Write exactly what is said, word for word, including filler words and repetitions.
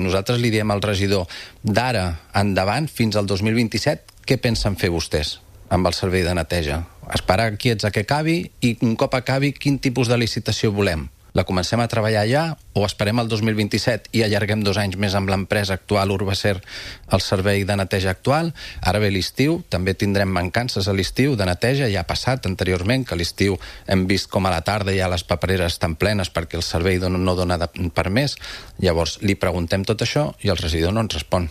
Nosaltres li diem al regidor d'ara endavant, fins al dos mil vint-i-set, què pensen fer vostès amb el servei de neteja? Esperar quiets a que acabi i un cop acabi quin tipus de licitació volem? La comencem a treballar ja o esperem el dos mil vint-i-set i allarguem dos anys més amb l'empresa actual Urbacer el servei de neteja actual? Ara ve l'estiu, també tindrem mancances a l'estiu de neteja, ja ha passat anteriorment que a l'estiu hem vist com a la tarda ja les papereres estan plenes perquè el servei no dona per més. Llavors li preguntem tot això i el regidor no ens respon.